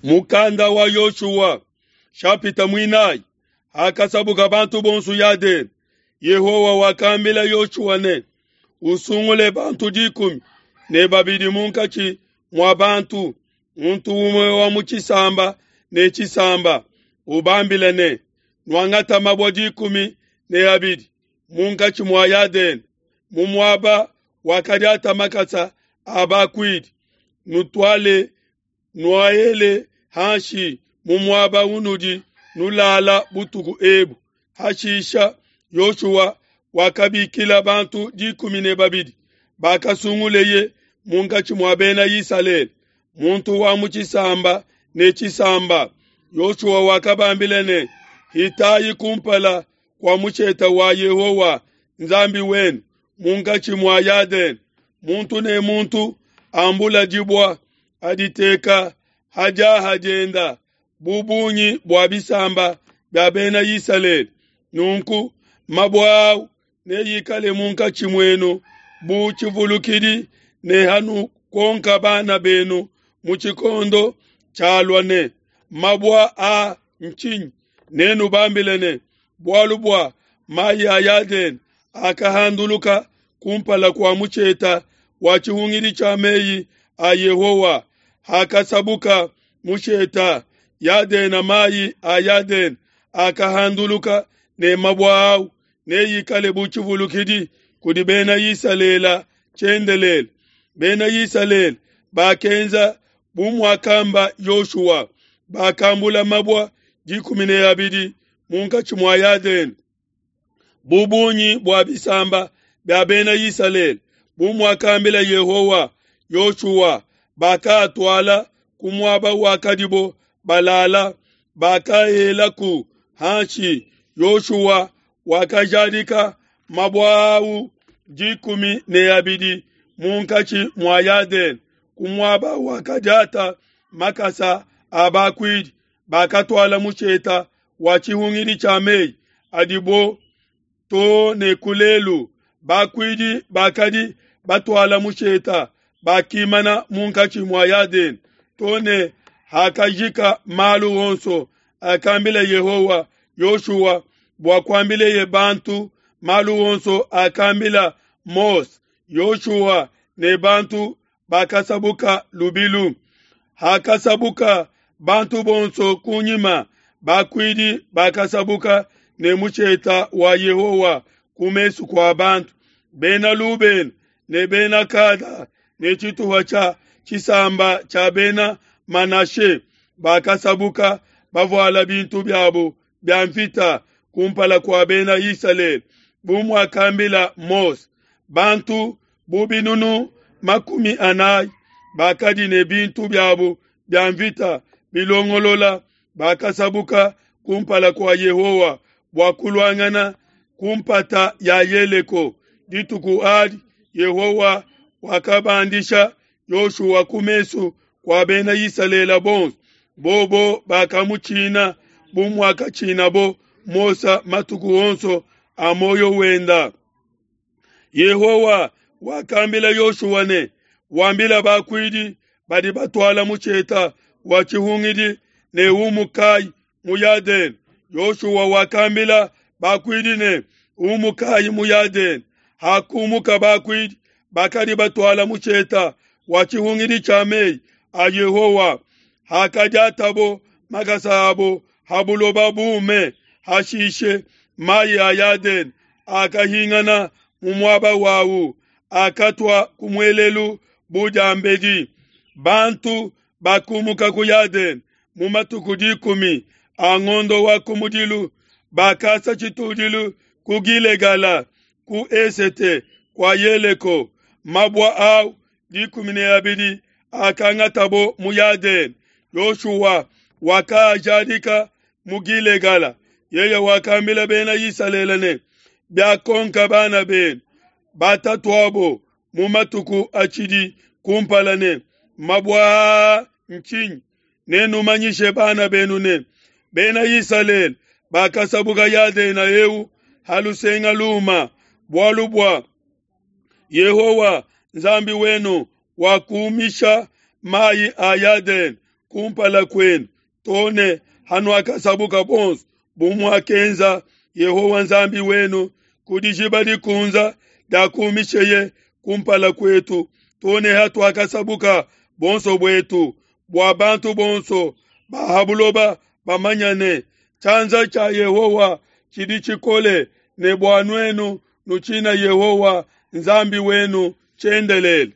Mukanda wa Yoshua shapita muinayi. Hakasabuka bantu bonso Yadene, Yehowa wakambila Yoshua ne, Usungule bantu 12 munkatshi mua bantu, muntu umue wa mu tshisamba ne tshisamba, ubambile ne, Nuangata mabue 12 munkatshi mua Yadene, mu muaba wakadiata makasa a bakuidi, nutuale nuaele hanshi mu muaba unudi nulala butuku ebu. Hashisha Yoshua wakabikila bantu 12 bakasunguleye munkatshi mua bena Isalele, muntu wa mu tshisamba ne tshisamba. Yoshua wakabambila ne, Hitayi kumpala kua mushete wa Yehowa Nzambi wenu munkatshi mua Yadene, muntu ne muntu ambula dibua aditeka ha diaha dienda bu bungi bua bisamba bia bena Isalele. Nunku mabue au neikale munkatshi muenu bu tshivulukidi, ne hanukonka bana benu mu tshikondo tshialua ne, mabue a ntshinyi? Nenubambile ne, bualu bua mayi a Yadene akahanduluka kumpala kua mushete wa tshihungidi tshia meyi a Yehowa. Hakasabuka mushete Yadene, mayi a Yadene akahanduluka, ne mabue au neikale bu tshivulukidi kudi bena Isalele tshiendelele. Bena Isalele bakenza bu muakamba Yoshua, bakambula mabue 12 munkatshi mua Yadene, bu bungi bua bisamba bia bena Isalele, bu muakambila Yehowa Yoshua. Bakatuala ku muaba wakadibo balala, bakaelaku hanshi. Yoshua wakajadika mabue au 12 munkatshi mua Yadene, ku muaba wakadiata makasa a bakuidi bakatuala mushete wa tshihungidi tshia meyi adibo to ne ku lelu. Bakuidi bakadi batuala mushete bakimana munkatshi mua Yadene to ne hakajika malu onso akambila Yehowa Yoshua bua kuambileye bantu malu onso akambila Mose. Yoshua ne bantu bakasabuka lubilu. Hakasabuka bantu bonso kunyima, bakuidi bakasabuka ne mushete wa Yehowa ku mesu kua bantu. Bena Lubena ne bena Gada ne tshituha tshia tshisamba tshia bena Manashe bakasabuka bavuala bintu biabo bia mvita kumpala kua bena Isalele, bu muakambila Mose. Bantu bu binunu 40 bakadi ne bintu biabo bia mvita bilongolola, bakasabuka kumpala kua Yehowa bua kuluangana ku mpata ya Yeleko. Dituku adi Yehowa wakabandisha Yoshua ku mesu kua bena Isalele bonso. Bobo bakamutshina bu muakatshinabo Mose matuku onso a muoyo wenda. Yehowa wakambila Yoshua ne, wambila bakuidi badi batuala mushete wa tshihungidi ne umukayi mu Yadene. Yoshua wakambila bakuidi ne, umukayi mu Yadene. Hakumuka bakuidi bakadi batuala mushete wa tshihungidi tshia meyi a Yehowa, hakadiatabo makasa abo ha buloba bume, hashishe mayi a Yadene akahingana mu muaba wawu, akatua ku muelelu bu diambedi. Bantu bakumuka ku Yadene mu matuku 10 a ngondo wa kumudilu, bakasa tshitudilu ku Gilegala ku esete kua Yeleko. Mabue au 12 akangatabo mu Yadene, Yoshua wakaajadika mu Gilegala. Yeye wakambila bena Isalele ne, biakonka bana benu batatuabo mu matuku atshidi kumpala ne, mabue aa ntshinyi? Nenumanyishe bana benu ne, bena Isalele bakasabuka Yadena eu ha lusenga luma, bualu bua Yehowa Nzambi wenu wakumisha mayi a Yadene. kumpala kuenu too ne hanuakasabuka bonso, bu muakenza Yehowa Nzambi wenu ku Dijiba Dikunze diakumisheye kumpala kuetu, too ne hatuakasabuka buonso buetu, bua bantu bonso ba ha buloba bamanye ne, Tshianza tshia Yehowa tshidi tshikole, ne bua nuenu nutshina Yehowa Nzambi wenu tshiendelele.